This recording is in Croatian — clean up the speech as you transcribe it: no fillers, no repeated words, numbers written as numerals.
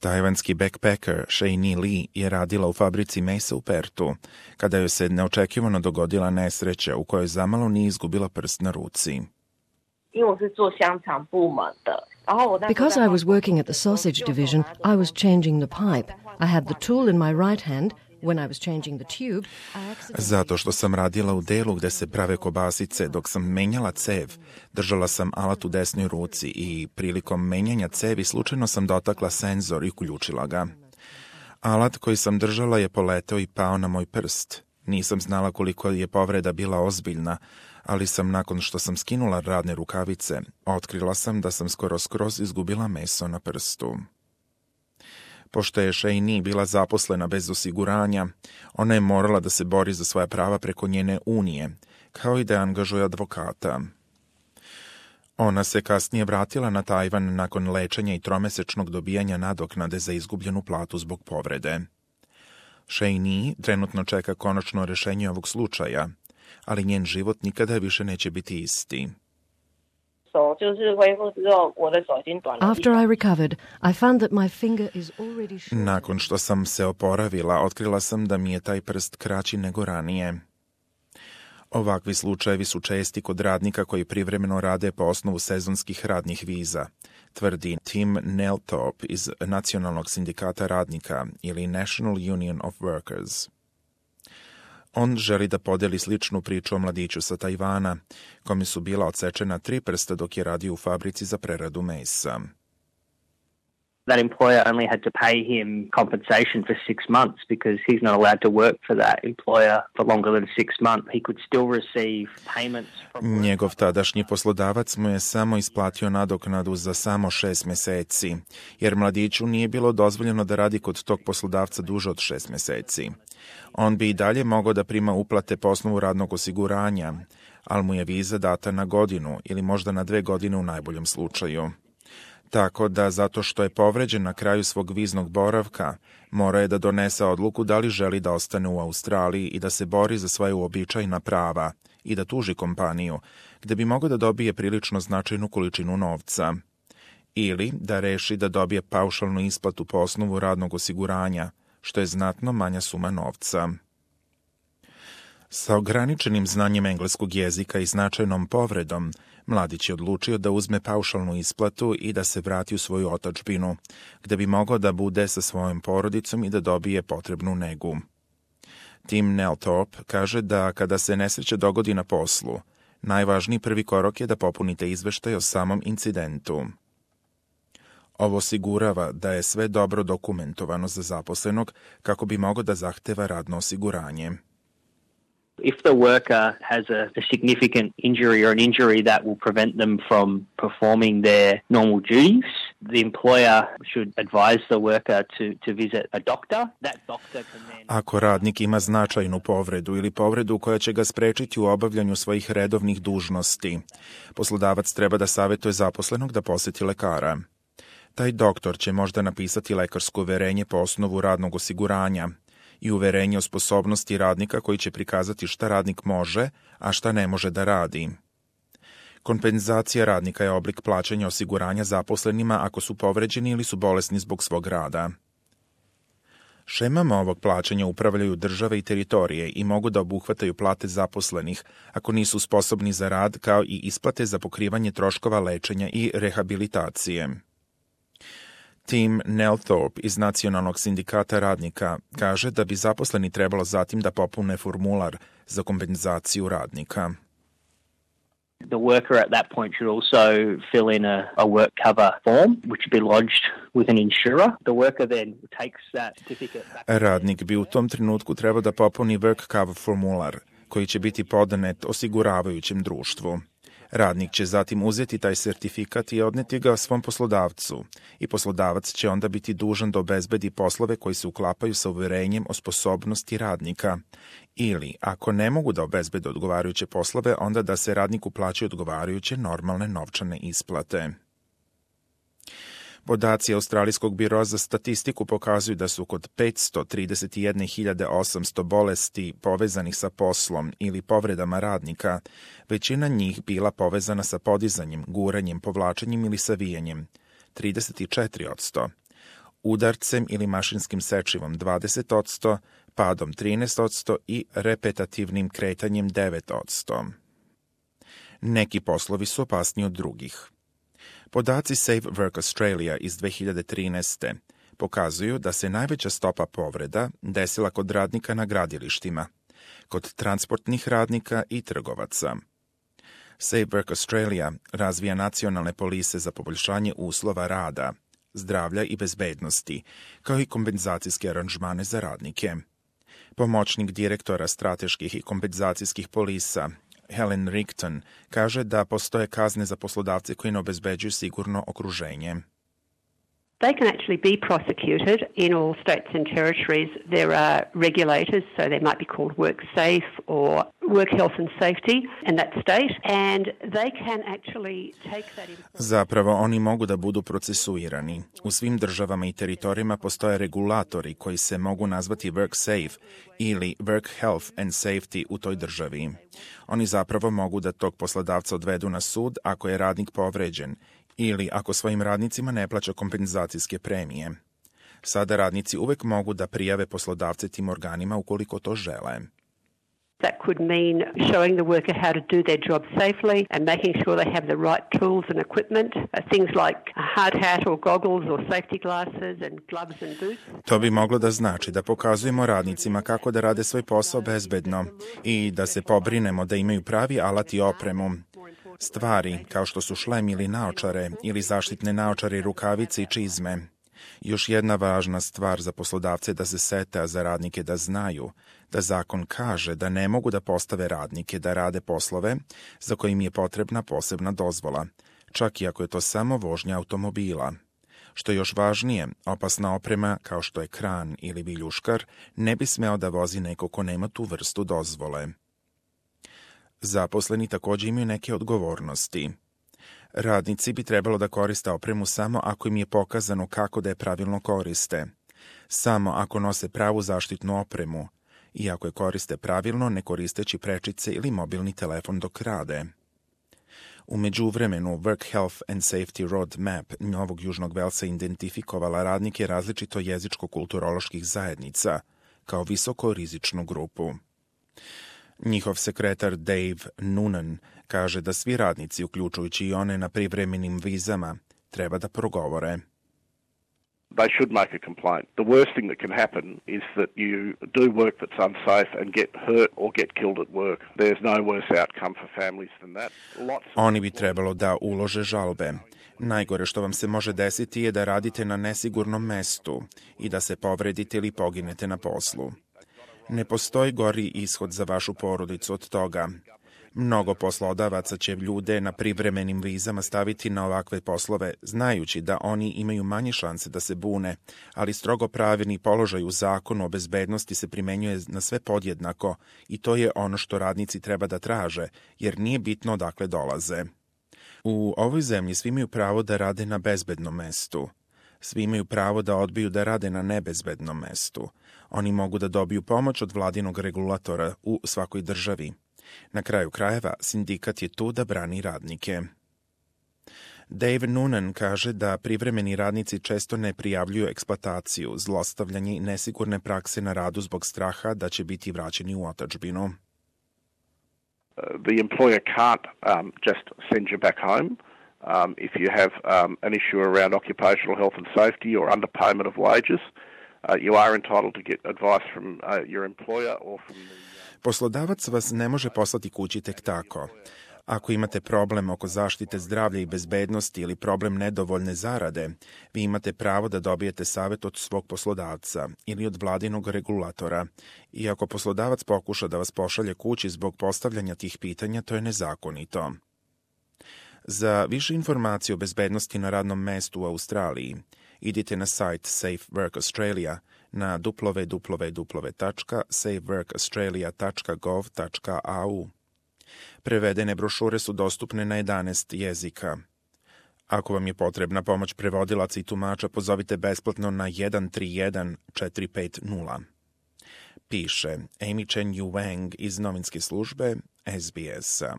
Tajvanski backpacker Shane Lee je radila u fabrici mesa u Pertu, kada joj se neočekivano dogodila nesreća u kojoj zamalo nije izgubila prst na ruci. Because I was working at the sausage division, I was changing the pipe. I had the tool in my right hand. When I was changing the tube, Zato što sam radila u delu gde se prave kobasice, dok sam menjala cev, držala sam alat u desnoj ruci i prilikom menjanja cevi slučajno sam dotakla senzor i uključila ga. Alat koji sam držala je poleteo i pao na moj prst. Nisam znala koliko je povreda bila ozbiljna, ali sam nakon što sam skinula radne rukavice, otkrila sam da sam skroz izgubila meso na prstu. Pošto je Shane bila zaposlena bez osiguranja, ona je morala da se bori za svoja prava preko njene unije, kao i da angažuje advokata. Ona se kasnije vratila na Tajvan nakon lečenja i tromesečnog dobijanja nadoknade za izgubljenu platu zbog povrede. Shane trenutno čeka konačno rešenje ovog slučaja, ali njen život nikada više neće biti isti. after I recovered, I found that my finger is already shorter. Nakon što sam se oporavila, otkrila sam da mi je taj prst kraći nego ranije. Ovakvi slučajevi su česti kod radnika koji privremeno rade po osnovu sezonskih radnih viza, tvrdi Tim Nelthorpe iz Nacionalnog sindikata radnika ili National Union of Workers. On želi da podeli sličnu priču o mladiću sa Tajvana, kome su bila odsečena 3 prsta dok je radio u fabrici za preradu mesa. That employer only had to pay him compensation for 6 months because he's not allowed to work for that employer for longer than 6 months. He could still receive payments from... Njegov tadašnji poslodavac mu je samo isplatio nadoknadu za samo 6 meseci, jer mladiću nije bilo dozvoljeno da radi kod tog poslodavca duže od 6 meseci. On bi i dalje mogao da prima uplate po osnovu radnog osiguranja, ali mu je viza data na godinu ili možda na 2 godine u najboljem slučaju. Tako da, zato što je povređen na kraju svog viznog boravka, mora je da donese odluku da li želi da ostane u Australiji i da se bori za svoje uobičajena prava i da tuži kompaniju, gde bi mogao da dobije prilično značajnu količinu novca. Ili da reši da dobije paušalnu isplatu po osnovu radnog osiguranja, što je znatno manja suma novca. Sa ograničenim znanjem engleskog jezika i značajnom povredom, mladić je odlučio da uzme paušalnu isplatu i da se vrati u svoju otadžbinu, gde bi mogao da bude sa svojom porodicom i da dobije potrebnu negu. Tim Nelthorpe kaže da kada se nesreća dogodi na poslu, najvažniji prvi korak je da popunite izveštaj o samom incidentu. Ovo osigurava da je sve dobro dokumentovano za zaposlenog kako bi mogao da zahteva radno osiguranje. If the worker has a significant injury or an injury that will prevent them from performing their normal duties, the employer should advise the worker to visit a doctor. That doctor can then... Ako radnik ima značajnu povredu ili povredu koja će ga sprečiti u obavljanju svojih redovnih dužnosti, poslodavac treba da savetuje zaposlenog da poseti lekara. Taj doktor će možda napisati lekarsko uverenje po osnovu radnog osiguranja i uverenje o sposobnosti radnika koji će prikazati šta radnik može, a šta ne može da radi. Kompenzacija radnika je oblik plaćanja osiguranja zaposlenima ako su povređeni ili su bolesni zbog svog rada. Šemama ovog plaćanja upravljaju države i teritorije i mogu da obuhvataju plate zaposlenih ako nisu sposobni za rad, kao i isplate za pokrivanje troškova lečenja i rehabilitacije. Tim Nelthorpe iz Nacionalnog sindikata radnika kaže da bi zaposleni trebalo zatim da popune formular za kompenzaciju radnika. The worker at that point should also fill in a work cover form, which would be lodged with an insurer. The worker then takes that certificate back. Radnik bi u tom trenutku trebao da popuni work cover formular, koji će biti podanet osiguravajućem društvu. Radnik će zatim uzeti taj sertifikat i odneti ga svom poslodavcu i poslodavac će onda biti dužan da obezbedi poslove koji se uklapaju sa uverenjem o sposobnosti radnika ili, ako ne mogu da obezbede odgovarajuće poslove, onda da se radniku plaćaju odgovarajuće normalne novčane isplate. Podaci Australijskog biroa za statistiku pokazuju da su kod 531.800 bolesti povezanih sa poslom ili povredama radnika, većina njih bila povezana sa podizanjem, guranjem, povlačenjem ili savijanjem, 34%. udarcem ili mašinskim sečivom 20%, padom 13% i repetativnim kretanjem 9%. Neki poslovi su opasniji od drugih. Podaci Safe Work Australia iz 2013. pokazuju da se najveća stopa povreda desila kod radnika na gradilištima, kod transportnih radnika i trgovaca. Safe Work Australia razvija nacionalne polise za poboljšanje uslova rada, zdravlja i bezbednosti, kao i kompenzacijske aranžmane za radnike. Pomoćnik direktora strateških i kompenzacijskih polisa Helen Rigton kaže da postoje kazne za poslodavce koji ne obezbeđuju sigurno okruženje. They can actually be prosecuted in all states and territories. There are regulators, so they might be called WorkSafe or Work Health and Safety in that state, and they can actually take that in... Zapravo, oni mogu da budu procesuirani. U svim državama i teritorijama postoje regulatori koji se mogu nazvati WorkSafe ili Work Health and Safety u toj državi. Oni zapravo mogu da tog poslodavca odvedu na sud ako je radnik povređen ili ako svojim radnicima ne plaća kompenzacijske premije. Sada radnici uvek mogu da prijave poslodavce tim organima ukoliko to žele. That could mean showing the worker how to do their job safely and making sure they have the right tools and equipment, things like a hard hat or goggles or safety glasses and gloves and boots. To bi moglo da znači da pokazujemo radnicima kako da rade svoj posao bezbedno i da se pobrinemo da imaju pravi alat i opremu. Stvari kao što su šlem ili naočare ili zaštitne naočare i rukavice i čizme. Još jedna važna stvar za poslodavce je da se sete, a za radnike da znaju, da zakon kaže da ne mogu da postave radnike da rade poslove za kojim je potrebna posebna dozvola, čak i ako je to samo vožnja automobila. Što je još važnije, opasna oprema kao što je kran ili viljuškar ne bi smeo da vozi neko ko nema tu vrstu dozvole. Zaposleni također imaju neke odgovornosti. Radnici bi trebalo da koriste opremu samo ako im je pokazano kako da je pravilno koriste, samo ako nose pravu zaštitnu opremu i ako je koriste pravilno ne koristeći prečice ili mobilni telefon dok rade. U međuvremenu Work Health and Safety Roadmap Novog Južnog Velsa identifikovala radnike različito jezičko-kulturoloških zajednica kao visoko rizičnu grupu. Njihov sekretar Dave Noonan kaže da svi radnici, uključujući i one na privremenim vizama, treba da progovore. They should make a complaint. The worst thing that can happen is that you do work that's unsafe and get hurt or get killed at work. There's no worse outcome for families than that. Oni bi trebalo da ulože žalbe. Najgore što vam se može desiti je da radite na nesigurnom mestu i da se povredite ili poginete na poslu. Ne postoji gori ishod za vašu porodicu od toga. Mnogo poslodavaca će ljude na privremenim vizama staviti na ovakve poslove, znajući da oni imaju manje šanse da se bune, ali strogo pravilni položaj u zakonu o bezbednosti se primenjuje na sve podjednako i to je ono što radnici treba da traže, jer nije bitno odakle dolaze. U ovoj zemlji svi imaju pravo da rade na bezbednom mestu. Svi imaju pravo da odbiju da rade na nebezbednom mestu. Oni mogu da dobiju pomoć od vladinog regulatora u svakoj državi. Na kraju krajeva, sindikat je tu da brani radnike. Dave Noonan kaže da privremeni radnici često ne prijavljuju eksploataciju, zlostavljanje i nesigurne prakse na radu zbog straha da će biti vraćeni u otadžbinu. The employer can't just send you back home. If you have an issue around occupational health and safety or underpayment of wages, you are entitled to get advice from your employer or from the... Poslodavac vas ne može poslati kući tek tako. Ako imate problem oko zaštite zdravlja i bezbednosti ili problem nedovoljne zarade, vi imate pravo da dobijete savjet od svog poslodavca ili od vladinog regulatora. I ako poslodavac pokuša da vas pošalje kući zbog postavljanja tih pitanja, to je nezakonito. Za više informacije o bezbednosti na radnom mestu u Australiji, idite na sajt Safe Work Australia na www.safeworkaustralia.gov.au. Prevedene brošure su dostupne na 11 jezika. Ako vam je potrebna pomoć prevodilaca i tumača, pozovite besplatno na 131 450. Piše Amy Chen Yu Wang iz novinske službe SBS-a.